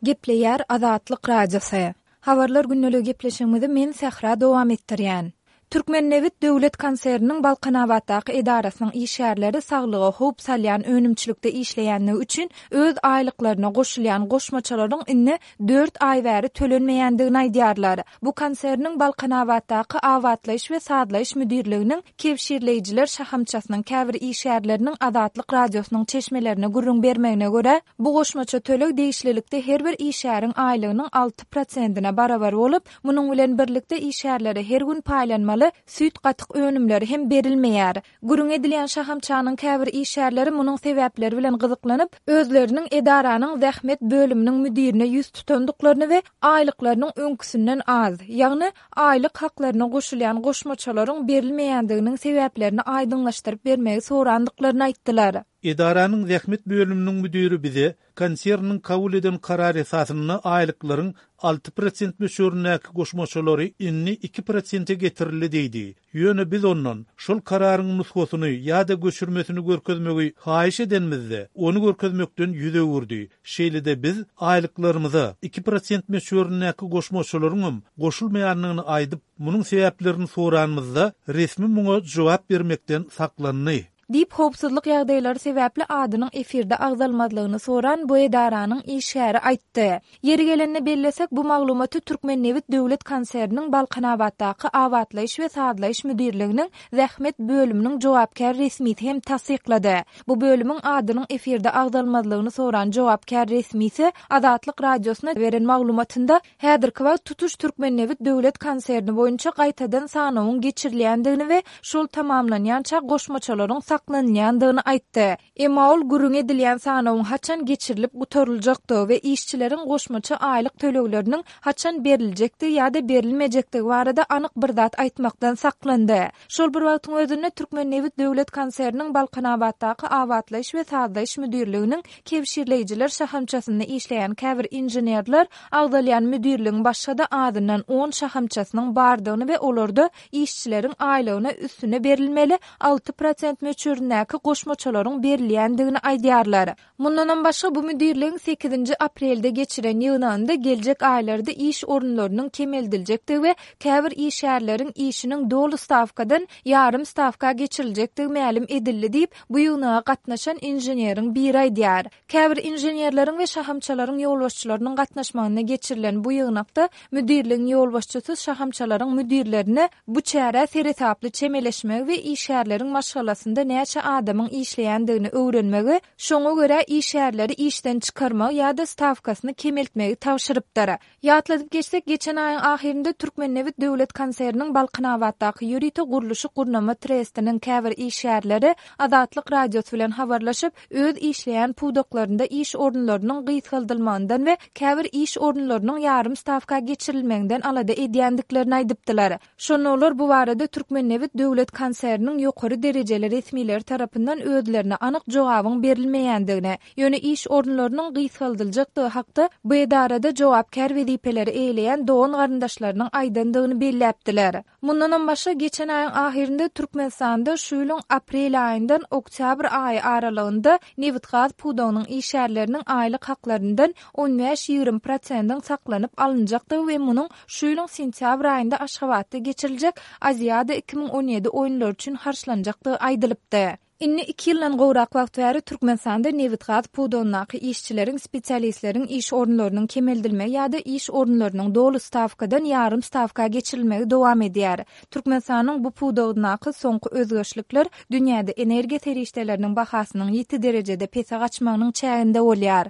Gepleýär Azatlyk Radiosy. Habarlar gündeligi gepleşigimizi men Sähra dowam etdirýän. Türkmennebit döwlet konserniniň Balkanabatdaky edarasynyň işgärleri saglyga howp salýan önümçilikde işleýänligi üçin öz aýlyklaryna goşulýan goşmaçalaryň indi dört aý bäri tölenmeýändigini aýdýarlar. Bu konserniň Balkanabatdaky abatlaýyş we sazlaýyş müdirliginiň kebşirleýjiler şahamçasynyň käbir işgärleriniň Azatlyk Radiosynyň çeşmelerine gürrüň bermegine görä, bu goşmaça töleg degişlilikde her bir işgäriň aýlygynyň alty prosentine barabar bolup, munuň bilen birlikde işgärlere her gün paýlanmaly süýt-gatyk önümleri hem berilmeýär. Gürrüňi edilýän şahamçanyň käbir işgärleri munuň sebäpleri bilen gyzyklanyp, özleriniň edaranyň zähmet bölüminiň müdirine ýüz tutandyklaryny we aýlyklarynyň öňküsinden az, ýagny aýlyk haklaryna goşulýan goşmaçalaryň berilmeýändiginiň sebäplerini aýdyňlaşdyryp bermegi sorandyklaryny aýtdylar. Edaranyň zähmet bölüminiň müdiri bize konserniň kabul eden karary esasynda aýlyklaryň 6% möçberindäki goşmaçalary indi 2 prosente getirildi diýdi. Ýöne biz ondan şol kararyň nusgasyny ýa-da göçürmesini görkezmegi haýyş edenimizde, ony görkezmekden ýüz öwürdi. Şeýle-de biz aýlyklarymyza 2% möçberindäki goşmaçalaryňam goşulmaýandygyny aýdyp, munuň sebäplerini soranymyzda, resmi muňa jogap bermekden saklandy. Diýip, howpsuzlyk ýagdaýlary sebäpli adynyň efirde agzalmazlygyny soran bu edaranyň işgäri aýtdy. Ýeri gelende bellesek, bu maglumaty Türkmennebit döwlet konserniniň Balkanabatdaky abatlaýyş we sazlaýyş müdirliginiň zähmet bölüminiň jogapkär resmisi hem tassyklady. Bu bölümiň adynyň efirde agzalmazlygyny soran jogapkär resmisi Azatlyk Radiosyna beren maglumatynda Häzirki wagt tutuş Türkmennebit döwlet konserni boýunça gaýtadan sanawyň geçirilýändigini we şol tamamlanýança goşmaçalaryň saklanylýandygyny aýtdy. Emma ol gürrüňi edilýän sanawyň haçan geçirilip gutaryljakdygy we işçileriň goşmaça aýlyk tölegleriniň haçan beriljekdigi ýa-da berilmejekdigi barada anyk bir zat aýtmakdan saklandy. Şol bir wagtyň özünde Türkmennebit döwlet konserniniň Balkanabatdaky abatlaýyş we sazlaýyş müdirliginiň kebşirleýjiler şahamçasynda işleýän käbir inženerler agzalýan müdirligiň başga-da azyndan on şahamçasynyň bardygyny we olarda işçileriň aýlygyna üstüne berilmeli 6% möçberindäki goşmaçalaryň berilýändigini aýdýarlar. Mundanam başga, bu müdirligiň sekizinji aprelde geçiren ýygnagynda geljek aýlarda iş orunlarynyň kemeldiljekdigi we käbir işgärleriň işiniň doly stawkadan ýarym stawka geçiriljekdigi mälim edildi diýip, bu ýygnaga gatnaşan inženeriň biri aýdýar. Käbir inženerleriň we şahamçalaryň ýolbaşçylarynyň gatnaşmagynda geçirilen bu ýygnakda müdirligiň ýolbaşçysy şahamçalaryň müdirlerine bu çärä seresaply çemeleşmegi we işgärleriň maşgalasynda näçe adamyň işleýändigini öwrenmegi, şoňa görä işgärleri işden çykarmagy ýa-da stawkasyny kemeltmegi tabşyrypdyr. Ýatladyp geçsek, geçen aýyň ahyrynda Türkmennebit döwlet konserniniň Balkanabatdaky ýörite gurluşyk-gurnama trestiniň käbir işgärleri Azatlyk Radiosy bilen habarlaşyp, öz işleýän pudaklarynda iş orunlarynyň gysgaldylmagyndan we käbir iş orunlarynyň ýarym stawka geçirilmeginden alada edýändiklerini aýdypdylar. Şonda olar bu barada Türkmennebit döwlet konserniniň ýokary derejeli resmileri tarapyndan özlerine anyk jogabyň berilmeýändigini, ýöne iş orunlarynyň gysgaldyljakdygy hakda bu edarada jogapkär wezipeleri eýeleýän dogan-garyndaşlarynyň aýdandygyny belläpdiler. Mundanam başga, geçen aýyň ahyrynda Türkmenistanda şu ýylyň aprel aýyndan oktýabr aýy aralygynda nebitgaz pudagynyň işgärleriniň aýlyk haklaryndan on bäş-ýigrimi prosendiň saklanyp alynjakdygy we munuň şu ýylyň sentýabr aýynda Aşgabatda geçiriljek Aziada 2017 oýunlary üçin harçlanjakdygy aýdylypdy. Indi iki ýyldan gowrak wagt bäri Türkmenistanda nebitgaz pudagyndaky işçileriň, spesialistleriň iş orunlarynyň kemeldilmegi ýa-da iş orunlarynyň doly stawkadan ýarym stawka geçirilmegi dowam edýär. Türkmenistanyň bu pudagyndaky soňky özgerişlikler dünýäde energiýa serişdeleriniň bahasynyň ýiti derejede pese gaçmagynyň çäginde bolýar.